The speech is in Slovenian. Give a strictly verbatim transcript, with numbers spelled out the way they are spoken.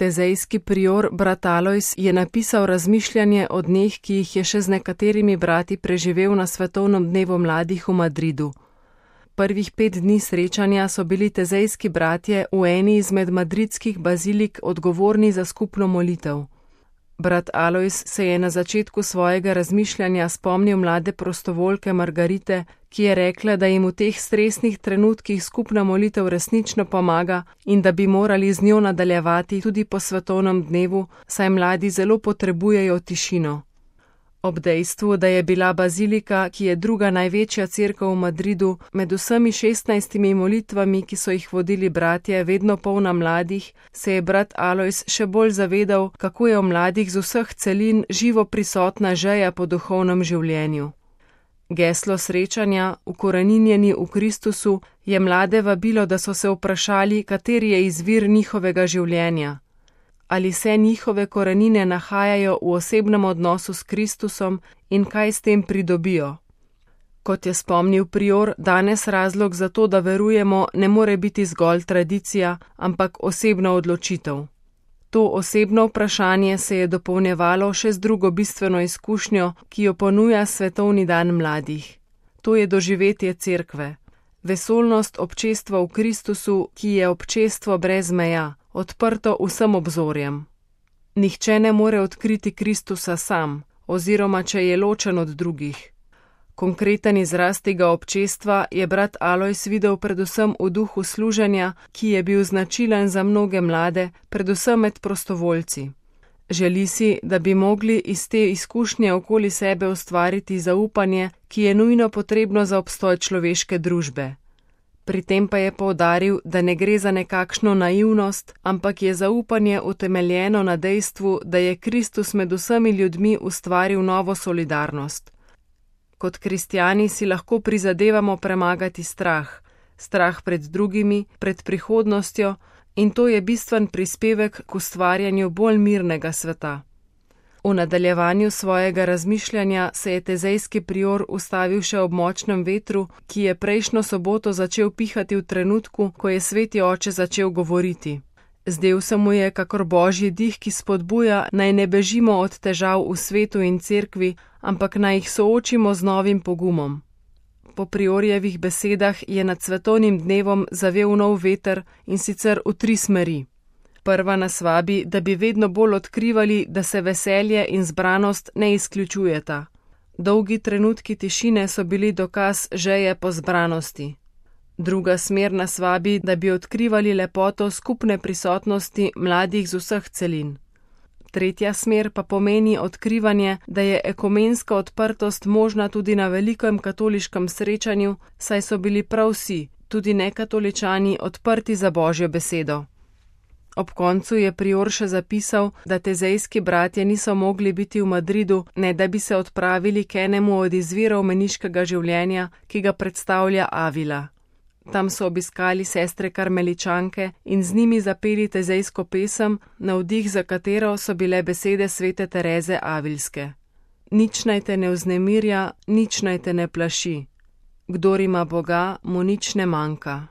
Tezejski prior brat Alojz je napisal razmišljanje o dneh, ki jih je še z nekaterimi brati preživel na svetovnem dnevu mladih v Madridu. Prvih pet dni srečanja so bili tezejski bratje v eni izmed madridskih bazilik odgovorni za skupno molitev. Brat Alojz se je na začetku svojega razmišljanja spomnil mlade prostovoljke Margarite, ki je rekla, da jim v teh stresnih trenutkih skupna molitev resnično pomaga in da bi morali z njo nadaljevati tudi po svetovnem dnevu, saj mladi zelo potrebujejo tišino. Ob dejstvu, da je bila bazilika, ki je druga največja cerkev v Madridu, med vsemi šestnajstimi molitvami, ki so jih vodili bratje, vedno polna mladih, se je brat Alojz še bolj zavedal, kako je v mladih z vseh celin živo prisotna želja po duhovnem življenju. Geslo srečanja, ukoreninjeni v Kristusu, je mlade vabilo, da so se vprašali, kateri je izvir njihovega življenja. Ali se njihove korenine nahajajo v osebnem odnosu s Kristusom in kaj s tem pridobijo. Kot je spomnil prior, danes razlog za to, da verujemo, ne more biti zgolj tradicija, ampak osebna odločitev. To osebno vprašanje se je dopolnjevalo še z drugo bistveno izkušnjo, ki jo ponuja svetovni dan mladih. To je doživetje cerkve. Vesolnost občestva v Kristusu, ki je občestvo brez meja, odprto vsem obzorjem. Nihče ne more odkriti Kristusa sam, oziroma če je ločen od drugih. Konkreten izraz tega občestva je brat Alojz videl predvsem v duhu služenja, ki je bil značilen za mnoge mlade, predvsem med prostovoljci. Želi si, da bi mogli iz te izkušnje okoli sebe ustvariti zaupanje, ki je nujno potrebno za obstoj človeške družbe. Pri tem pa je poudaril, da ne gre za nekakšno naivnost, ampak je zaupanje utemeljeno na dejstvu, da je Kristus med vsemi ljudmi ustvaril novo solidarnost. Kot kristjani si lahko prizadevamo premagati strah, strah pred drugimi, pred prihodnostjo, in to je bistven prispevek k ustvarjanju bolj mirnega sveta. V nadaljevanju svojega razmišljanja se je tezejski prior ustavil še ob močnem vetru, ki je prejšnjo soboto začel pihati v trenutku, ko je sveti oče začel govoriti. Zdel se mu je kakor božji dih, ki spodbuja, naj ne bežimo od težav v svetu in cerkvi, ampak naj jih soočimo z novim pogumom. Po priorjevih besedah je nad svetovnim dnevom zavel nov veter, in sicer v tri smeri. Prva nas vabi, da bi vedno bolj odkrivali, da se veselje in zbranost ne izključujeta. Dolgi trenutki tišine so bili dokaz želje po zbranosti. Druga smer nas vabi, da bi odkrivali lepoto skupne prisotnosti mladih z vseh celin. Tretja smer pa pomeni odkrivanje, da je ekumenska odprtost možna tudi na velikem katoliškem srečanju, saj so bili prav vsi, tudi nekatoličani, odprti za Božjo besedo. Ob koncu je prior še zapisal, da tezejski bratje niso mogli biti v Madridu, ne da bi se odpravili k enemu od izvirov meniškega življenja, ki ga predstavlja Avila. Tam so obiskali sestre karmeličanke in z njimi zapeli tezejsko pesem, navdih za katero so bile besede svete Tereze Avilske. Nič naj te ne vznemirja, nič naj te ne plaši. Kdor ima Boga, mu nič ne manjka.